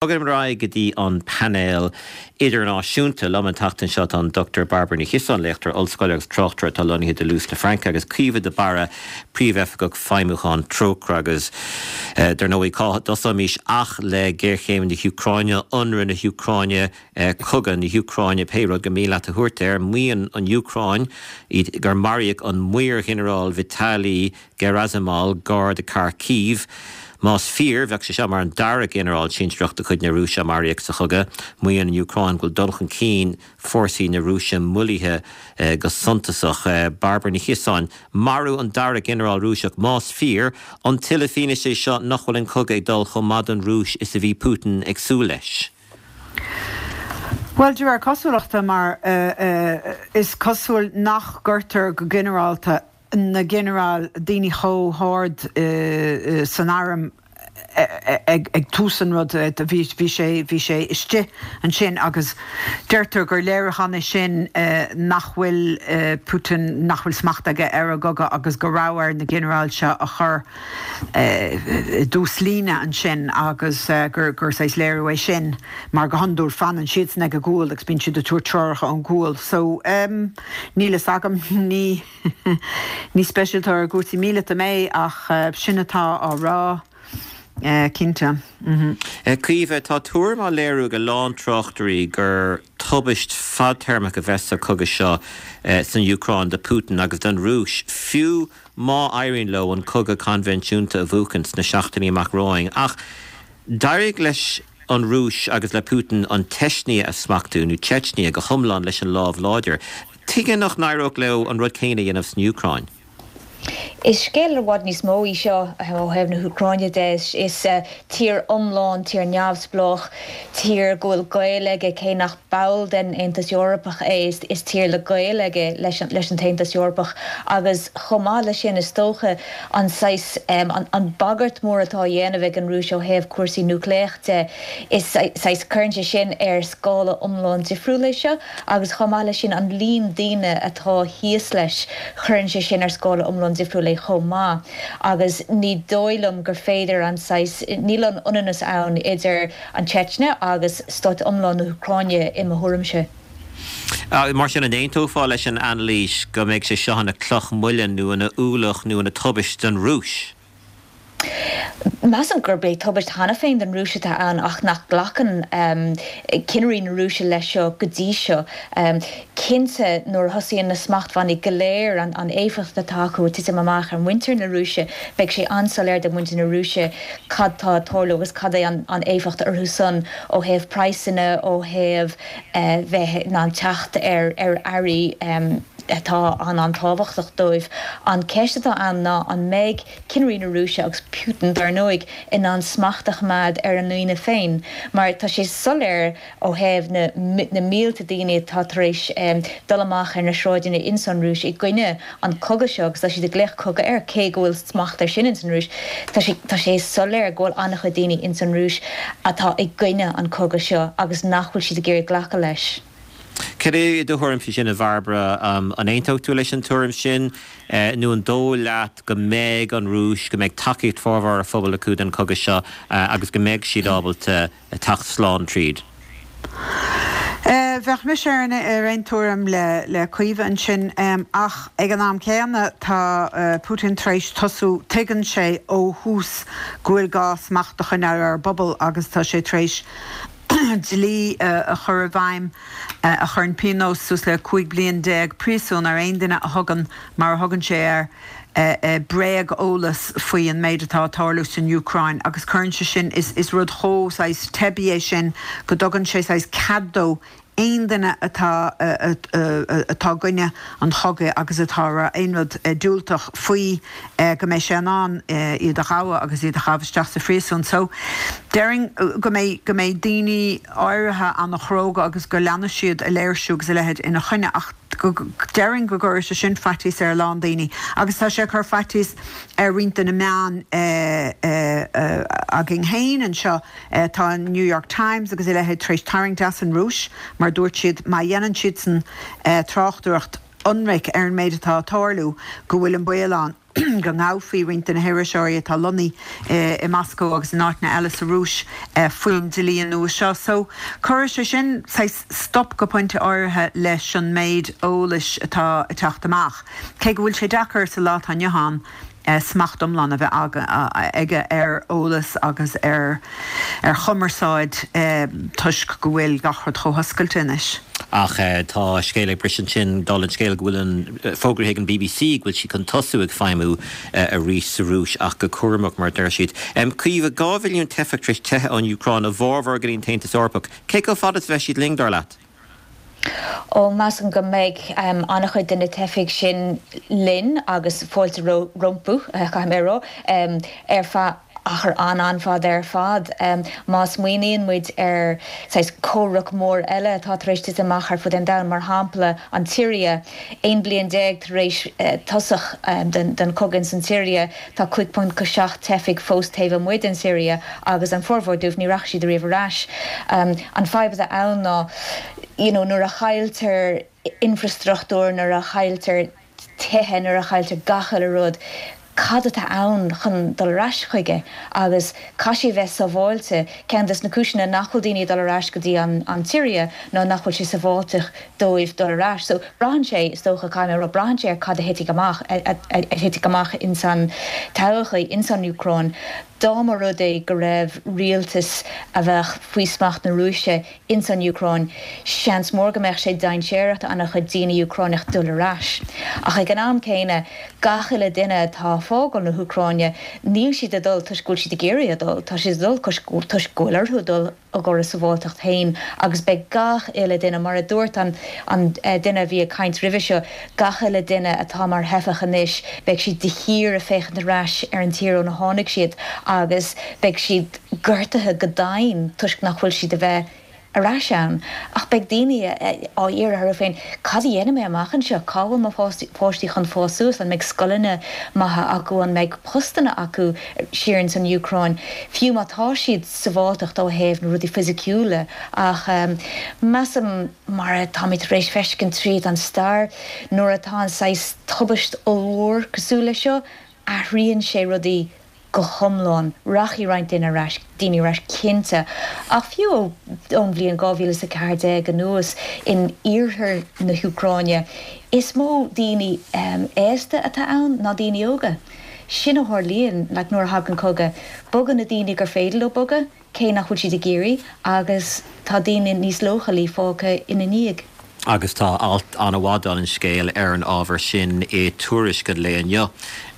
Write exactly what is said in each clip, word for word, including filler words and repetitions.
Bogaim ar aghaidh go dtí an painéal idirnáisiúnta. Liom an tseachtain seo tá an Doctor Bairbre Ní Chiosáin, léachtóir ollscoile agus tráchtaire atá lonnaithe i dToulouse na Fraince, agus Caoimhe de Barra, Príomhoifigeach Feidhmiúcháin Trócaire. Agus dar ndóigh, cá dtosóimis ach le géarchéim na hÚcráine, ionradh na hÚcráine, cogadh na hÚcráine, pé rud gur mian leat a thabhairt air. Maíonn an Úcráin gur maraíodh an Maor-Ghinearál Vitaly Gerasimov gar do Kharkiv. Más fíor, bheadh sé seo mar an dara ginearál sinsearach de chuid na Rúise a maraíodh sa chogadh. Maíonn an Úcráin go bhfuil dul chun cinn fórsaí na Rúise moillithe go suntasach. Bairbre Ní Chiosáin, marú an dara ginearál Rúiseach, más fíor, an tuilleadh fianaise é seo nach bhfuil an cogadh ag dul chomh maith don Rúis is a bhí Putin ag súil leis? Bhuel, de réir cosúlachta, mar is cosúil nach gcuirtear go ginearálta na ginearáil, daoine chomh hard san arm ag tús an rud, bhí bhí sé bhí sé istigh ansin agus deirtear gur léiriúchán é sin nach bhfuil Putin, nach bhfuil smacht aige ar an gcogadh agus go raibh air na ginearáil seo a chur i dtús líne ansin agus gur gur saghas léiriú é sin mar go hiondúil fanann siadsan ag an gcúl agus bíonn siad ag tabhairt treoracha ón gcúl. So níl fhios agam, ní ní speisialtóir i gcúrsaí míleata mé ach sin atá á rá cinnte. Caoimhe, tá tuairim á léiriú ag a lán tráchtairí gur tubaist fadtéarmach a bheas sa chogadh seo san Úcráin do Putin agus don Rúis, fiú má éiríonn leo an cogadh coinbhinsiúnta a bhuachan sna seachtainí amach romhainn. Ach d'éirigh leis an Rúis agus le Putin an tSeisnia a smachtú, nó Chechnya, go hiomlán leis an lámh láidir. Tuige nach n-éireodh leo an rud céanna a dhéanamh san Úcráin? Is scéal i bhfad níos mó í seo ó thaobh na hÚcráine de. Is tír iomlán, tír neamhspleách, tír go bhfuil gaol aige, cé nach ball den Aontas Eorpach é, is tír le gaol aige leis an tAontas Eorpach agus chomh maith leis sin is dócha an saghas, an bagairt mór atá á dhéanamh ag an Rúis ó thaobh cúrsaí núicléach de, is saghas, cuireann sé sin ar scála iomlán difriúil é seo agus chomh maith leis sin an líon daoine atá thíos leis, cuireann sé sin ar scála iomlán difriúil é chomh maith agus ní dóigh liom gur féidir an saghas, níl an ionannas ann idir an tSeitsnia agus stát iomlán na hÚcráine i mo thuairimse. Mar sin, an aontófá leis an anailís go mbeidh sé seo ina chloch muilinn nó ina ualach nó ina tubaist don Rúis? Measaim gurb é tubaist cheana féin don Rúis atá ann ach nach nglacann cinnirí na Rúise leis seo go dtí seo. Cinnte, nuair a thosaíonn na smachtbhannaí go léir, an éifeacht atá acu ag titim amach ar mhuintir na Rúise, beidh sé an-soiléir do mhuintir na Rúise cad tá ag tarlú agus cad é an éifeacht orthu san ó thaobh praghsanna, ó thaobh bheith in ann teacht ar earraí atá an-an-tábhachtach dóibh. An ceist atá ann ná an mbeidh cinnirí na Rúise agus Putin, dar ndóigh, in ann smacht a choimeád ar a ndaoine féin, mar tá sé soiléir ó thaobh na na mílte daoine atá tar éis dul amach ar na sráideanna ins an Rúis i gcoinne an cogadh seo, agus tá siad ag glaoch cogadh air, cé go bhfuil smacht air sin ins an Rúis, tá sé tá sé soiléir go bhfuil an-chuid daoine ins an Rúis atá i gcoinne an cogadh seo agus nach bhfuil siad ag iarraidh glacadh leis. Cad é do thuairim faoi sin, a Bhairbre? An aontódh tú leis an tuairim sin nó an dóigh leat go mbeidh an Rúis, go mbeidh tacaíocht formhór a phobail acu don chogadh seo agus go mbeidh siad ábalta teacht slán tríd? Bheadh mise ar aon tuairim le Caoimhe ansin ach ag an am céanna tá Putin tar éis tosú, tuigeann sé ó thús go bhfuil gá smacht a choinneáil ar an bpobal agus tá sé tar éis dlí a chur i bhfeidhm a chuireann pionós suas le cúig bliain déag príosúin ar aon duine a thugann, mar a thugann sé air, bréag-eolas faoi an méid atá ag tarlú san Úcráin agus cuireann sé sin, is rud chomh saghas teibí é sin go dtugann sé saghas cead dó aon duine atá atá i gcoinne an chogaidh agus atá ag rá aon rud diúltach faoi go mbeidh sé in ann iad a ghabhadh agus iad a chaitheamh isteach sa phríosún. So, déarfainn go mbeidh go mbeidh daoine áirithe an-chróga agus go leanfaidh siad ag léirsiú agus a leithéid ina choinne ach go déarfainn go gcuirfidh sé sin faitíos ar a lán daoine agus tá sé ag cur faitíos ar roinnt de na meáin againn féin anseo. Tá an New York Times agus a leithéid tar éis tarraingt as an Rúis mar dúirt siad má dhéanann siadsan tráchtaireacht ionraic ar an méid atá ag tarlú go bhfuil an baol ann go ngabhfaí roinnt de na hiriseoirí atá lonnaithe i Moscó agus in áiteanna eile sa Rúis faoin dlí nua seo. So cuirfidh sé sin saghas stop go pointe áirithe leis an méid eolais atá ag teacht amach. Cé go bhfuil sé deacair sa lá atá inniu ann smacht iomlán a bheith aige ar eolas agus ar ar chumarsáid toisc go bhfuil gach rud chomh hoscailte anois. Ach tá scéal ag briseadh ansin, dála an scéil, go bhfuil an fógraithe ag an B B C go bhfuil siad chun tosú ag feidhmiú arís sa Rúis ach go cúramach, mar a deir siad. Caoimhe, dhá mhilliún teifeach tar éis teitheadh ón Úcráin, a bhformhór go dtí an tAontas Eorpach. Cé chomh fada is a bheidh siad linn, dar leat? Ó, measaim go mbeidh an-chuid de na teifigh sin linn agus fáilte rompu, caithfidh mé a rá, ar feadh achar an-an-fhada ar fad. Má smaoiníonn muid ar saghas comhrac mór eile atá tar éis titim amach ar fud an domhain, mar shampla an tSiria, aon bliain déag tar éis tosach den chogadh san tSiria, tá cúig ponc seacht teifigh fós taobh amuigh den Siria agus an formhór dóibh ní rachaidh siad ariamh ar ais. An fadhb atá ann ná you know, nuair a chailltear infrastruchtúr, nuair a chailltear tithe, nuair a chailltear gach uile rud, cad atá ann chun dul ar ais chuige? Agus caithfidh sé bheith sábháilte. Ceann des na cúiseanna nach bhfuil daoine ag dul ar ais go dtí an an tSiria ná nach bhfuil sé sábháilte dóibh dul ar ais. So braitheann sé, is dócha, caithfidh mé a rá, braitheann sé ar cad a thitfidh amach a thitfidh amach ins an todhchaí ins an Úcráin. Dá mba rud é go raibh rialtas a bheadh faoi smacht na Rúise ins an Úcráin, seans mór go mbeadh sé dainséarach do an-chuid daoine Úcránach dul ar ais. Ach ag an am céanna, gach uile duine atá ag fágáil na hÚcráine, níl siad ag dul toisc go bhfuil siad ag iarraidh a dhul, tá siad ag dul toisc go bhfuil orthu dul i gcomhair a sábháilteacht féin agus beidh gach uile duine, mar a dúirt an an duine a bhí ag caint roimhe seo, gach uile duine atá mar theifeach anois, beidh siad de shíor ag féachaint ar ais ar an tír óna tháinig siad agus beidh siad gortaithe go domhain toisc nach bhfuil siad a bheith ar ais ann. Ach beidh daoine á iarraidh orthu féin, cad a dhéanfaidh mé amach anseo? Cá bhfuil mo pháistí chun fás suas? An mbeidh scoileanna maithe acu? An mbeidh postanna acu siar ins an Úcráin? Fiú má tá siad sábháilteacht ó thaobh na rudaí fisiciúla. Ach measaim, mar atáimid tar éis feiscint tríd an stair, nuair atá an saghas tubaist ollmhór cosúil leis seo, athraíonn sé rudaí go hiomlán. Rachaidh roinnt duine ar ais, daoine ar ais cinnte, ach fiú ón bhliain dhá mhíle is a ceathair déag anuas in iarthar na hÚcráine, is mó daoine aosta atá ann ná daoine óga. Sin a tharlaíonn like nuair a thagann cogadh. Bogann na daoine gur féidir leo bogadh, cé nach bhfuil siad ag iarraidh, agus tá daoine níos leochailí fágtha ina ndiaidh. Agus tá alt an-mhaith, dála an scéil, ar an ábhar sin i Tuairisc an lae inniu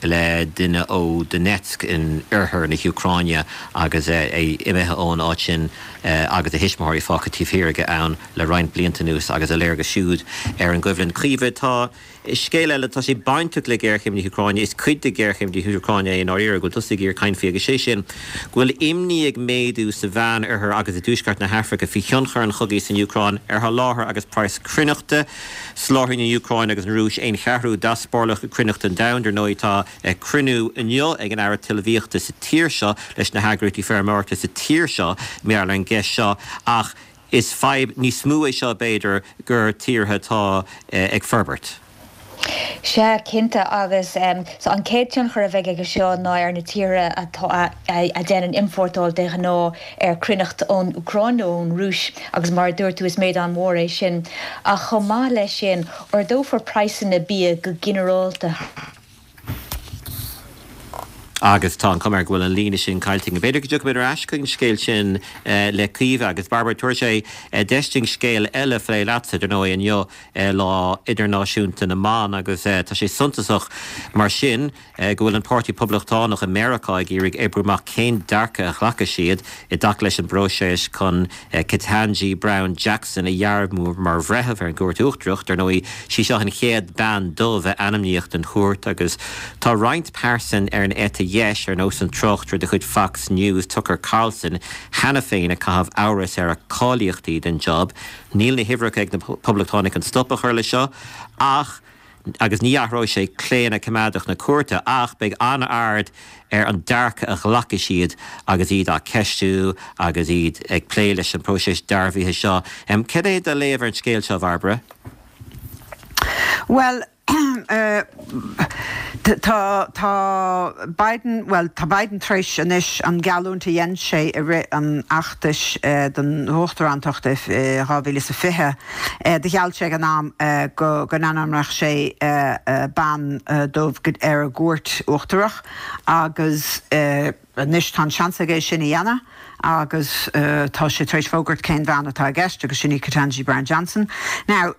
le duine ó Donetsk in oirthear na hÚcráine agus é imithe ón áit sin agus a thuismitheoirí fágtha taobh thiar aige ann le roinnt blianta anuas agus a léargas siúd ar an gcoimhlint. Caoimhe, tá scéal eile, tá sé bainteach le géarchéim na hÚcráine, is cuid de ghéarchéim na hÚcráine é i ndáiríre, go bhfuil tusa ag iarraidh caint faoi, agus sé sin go bhfuil imní ag méadú sa Mheánoirthear agus i dtuaisceart na hAfraice faoi thionchar an chogaidh san Úcráin ar sholáthar agus praghas cruithneachta. Soláthraíonn an Úcráin agus an Rúis aon cheathrú d'easpórtálacha cruithneachta an domhain. Dar ndóigh, tá cruinniú inniu ag an Aire Talmhaíochta sa tír seo leis na heagraíochtaí feirmeoireachta sa tír seo mar gheall ar an gceist seo, ach is fadhb níos mó é seo, b'fhéidir, gur tíortha atá ag forbairt. Sea, cinnte, agus so an chéad tionchar a bheidh aige seo ná ar na tíortha atá a dhéanann iompórtáil de ghnáth ar chruithneacht ón Úcráin nó ón Rúis, agus mar a dúirt tú, is méid an-mhór é sin. Ach chomh maith leis sin, ardófar praghsanna bia go ginearálta. Agus tá an chuma air go bhfuil an líne sin caillte. B'fhéidir go dtiocfaimid ar ais chuig an scéal sin le Caoimhe agus Barbara. Tabharfaidh sé deis dúinn scéal eile a phlé leatsa, dar ndóigh, inniu Lá Idirnáisiúnta na mBan agus tá sé suntasach mar sin go bhfuil an Páirtí Poblachtánach i Meiriceá ag iarraidh oibriú amach cén dearcadh a ghlacfaidh siad i dtaca leis an bpróiseas chun Ketanji Brown Jackson a dhearbhú mar bhreitheamh ar an gCúirt Uachtarach. Dar ndóigh, sí seo an chéad bean dubh a ainmníodh don chúirt agus tá roinnt pearsan ar an eite dheis, ar nós an tráchtaire de chuid Fox News, Tucker Carlson, cheana féin ag caitheamh amhras ar a cáilíochtaí don job. Níl na huimhreacha ag na Poblachtánaigh chun stop a chur leis seo ach agus ní athróidh sé claonadh coimeádach na cúirte ach beidh an-aird ar an dearcadh a ghlacfaidh siad agus iad á ceistiú agus iad ag plé leis an bpróiseas dearbhaithe seo. Cad é do léamh ar an scéal seo, a Bhairbre? Bhuel, Tá tá Biden well tá Biden tar éis anois an geallúint a dhein sé i rith an fheachtais don uachtarántacht dhá mhíle is a fiche do gheall sé ag an am go go n-ainmneodh sé bean dubh ar an gcúirt uachtarach agus anois tá an seans aige é sin a dhéanamh agus tá sé tar éis fógairt cén bhean atá i gceist agus sin í Ketanji Brown Johnson. Now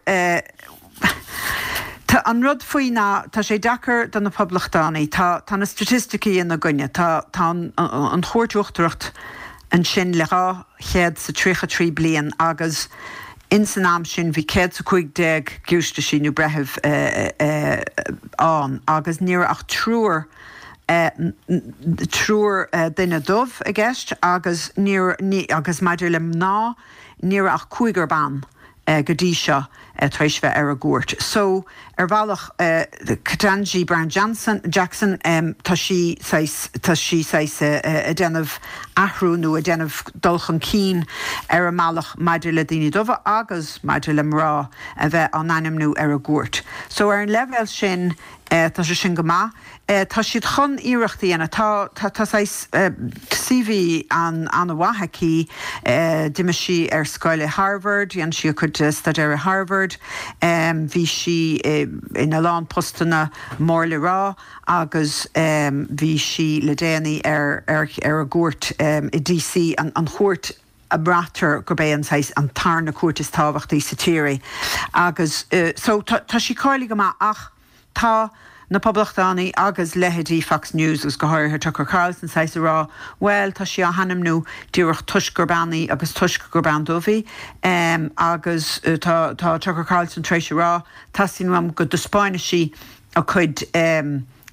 Tá an rud faoi ná tá sé deacair do na poblachtánaigh, tá tá na staitisticí ina gcoinne, tá tá an an chúirt uachtarach ansin le dhá chéad 's a tríocha trí bliain agus ins an am sin bhí céad 's a cúig déag giúistisí nó breitheamh ann agus ní raibh ach triúr triúr duine dubh i gceist agus ní ní agus maidir le mná ní raibh ach cúigear ban go dtí seo tar éis bheith ar an gcúirt. So ar bhealach Ketanji Brown Johnson Jackson tá sí saghas tá sí saghas ag déanamh athrú nó ag déanamh dul chun cinn ar an mbealach maidir le daoine dubha agus maidir le mná a bheith á n-ainmniú ar an gcúirt. So ar an leibhéal sin tá sé sin go maith. Tá siad chun iarracht a dhéanamh. Tá tá tá saghas CV an an-mhaith aici. D'imigh sí ar scoil i Harvard, dhein sí a cuid staidéir i Harvard, bhí sí ina lán postanna mór le rá agus bhí sí le déanaí ar ar ar an gcúirt i DC, an an chúirt a mbraitear gurb é an saghas an tarna cúirt is tábhachtaí sa tír é. Agus so tá tá sí cáilithe go maith ach tá na Poblachtánaigh agus leithéidí Fox News agus go háirithe Tucker Carlson saghas ag rá bhuel tá sí á hainmniú díreach toisc gur bean í agus toisc gur bean dubh í agus tá tá Tucker Carlson tar éis a rá teastaíonn uaim go dtaispeánfaidh sí a cuid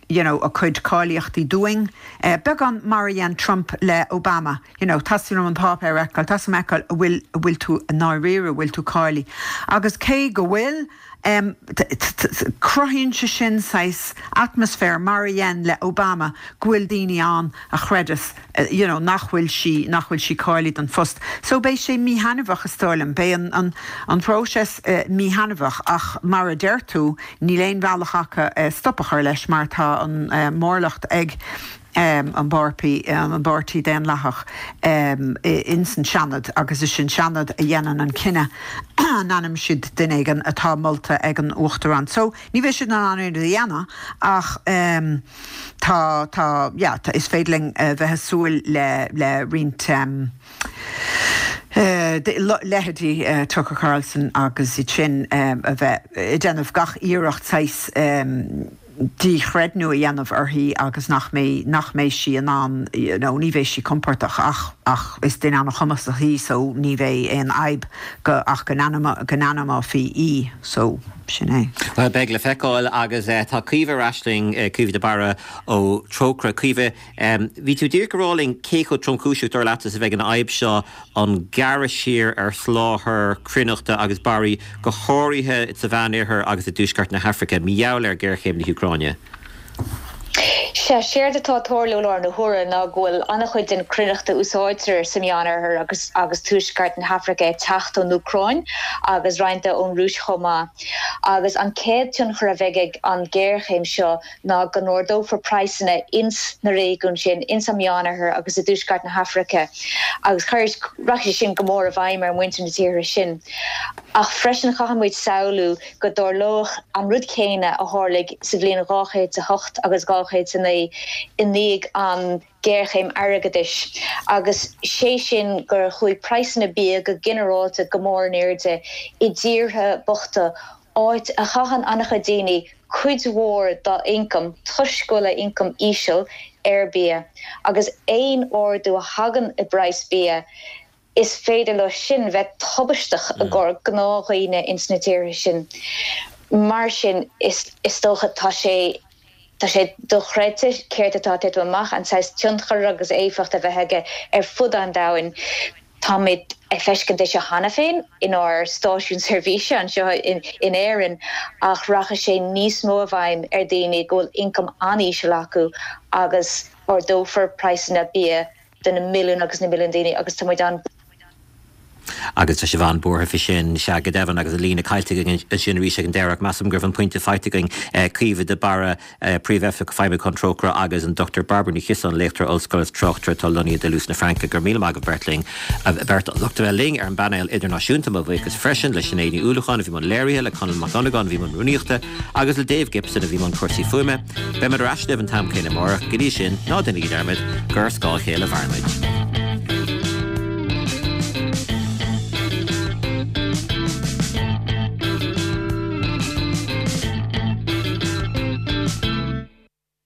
you know a cuid cáilíochtaí dúinn beagán mar a dhein Trump le Obama you know teastaíonn uaim an páipéar a fheiceáil teastaíonn uaim a fheiceáil an bhfuil an bhfuil tú i ndáiríre an bhfuil tú cáilithe agus cé go bhfuil Cruthaíonn sé sin saghas atmaisféar mar a dhein le Obama go bhfuil daoine ann a chreideas you know nach bhfuil sí nach bhfuil sí cáilithe don phost. So beidh sé míthaitneamhach is dóigh liom. Beidh an an an próiseas míthaitneamhach ach mar a deir tú níl aon bhealach acu stop a chur leis mar tá an mórlucht ag an bpáirtí an bPáirtí Daonlathach ins an Seanad agus is an Seanad a dhéanann an cinneadh an ainmneoidh siad duine éigin atá molta ag an Uachtarán. So ní bheidh siad in ann aon rud a dhéanamh ach tá tá yeah tá is féidir linn bheith ag súil le le roinnt leithéidí Tucker Carlson agus iad sin a bheith ag déanamh gach iarracht saghas díchreidniú a dhéanamh uirthi agus nach mbeidh nach mbeidh sí in ann you know ní bheidh sí compordach ach ach is duine an-chumasach í so ní bheidh aon fhadhb go ach go n-ainm go n-ainmneofaí í so sin é. Bhuel beidh le feiceáil agus tá Caoimhe ar ais linn, Caoimhe de Barra ó Trócaire. Caoimhe, bhí tú díreach ag rá linn cé chomh tromchúiseach dar leat is a bheidh an fhadhb seo an gearradh siar ar sholáthar cruithneachta agus barraí, go háirithe sa Mheánoirthear agus i dtuaisceart na hAfraice, mar gheall ar ghéarchéim na hÚcráine. Sea, séard atá ag tarlú i láthair na huaire ná go bhfuil an-chuid den chruithneacht a úsáidtear sa Meánoirthear agus agus tuaisceart na hAfraice ag teacht ón Úcráin agus roinnt de ón Rúis chomh maith. Agus an chéad tionchar a bheidh ag an ghéarchéim seo ná go n-ardófar praghsanna ins na réigiúin sin, ins an Meánoirthear agus i dtuaisceart na hAfraice, agus rachaidh sé sin go mór i bhfeidhm ar mhuintir na tíortha sin. Ach freisin caithfidh muid samhlú go dtarlódh an rud céanna a tharlaigh sa bhliain dhá chéad 's a hocht agus dhá chéad 's a naoi i ndiaidh an ghéarchéim airgeadais, agus sé sin gur chuaigh praghsanna bia go ginearálta go mór in airde i dtíortha bochta, áit a chaitheann an-chuid daoine cuid mhór dá n-ioncam, toisc go bhfuil a n-ioncam íseal, ar bia, agus aon ardú a thagann i bpraghas bia, is féidir leo sin bheith tubaisteach i gcomhair gnáthdhaoine ins na tíortha sin. Mar sin, is is dócha tá sé tá sé dochreidte céard atá ag titim amach, an saghas tionchar agus éifeacht a bheith aige ar fud an domhain. Táimid ag feiscint é seo cheana féin inár stáisiún seirbhíse anseo in in Éirinn ach rachaidh sé níos mó i bhfeidhm ar dhaoine go bhfuil ioncam an-íseal acu agus ardófar praghsanna bia do na milliúin agus na milliúin daoine agus tá muid an Agus tá sibh an-bhuartha faoi sin sea go deimhin agus an líne caillte againn ansin arís ag an deireadh ach measaim go raibh an pointe faighte againn Caoimhe de Barra, Príomhoifigeach Feidhmiúcháin Trócaire agus an Dochtúir Bairbre Ní Chiosáin, Léachtóir Ollscoile is tráchtaire atá lonnaithe i Duluth na Fraince. Go raibh míle maith agaibh beirt linn, beirt lucht a bheith linn ar an bpainéal idirnáisiúnta. Mo bhuíochas freisin le Sinéad Ní Uallacháin a bhí i mbun léirithe, le Conall Mac Dhonnagáin a bhí i mbun rúnaíochta agus le Dave Gibson a bhí i mbun cúrsaí fuaime. Beimid ar ais libh an t-am céanna amárach. Go dtí sin, ná déanaigí dearmad gur ar scáth a chéile a mhairimid.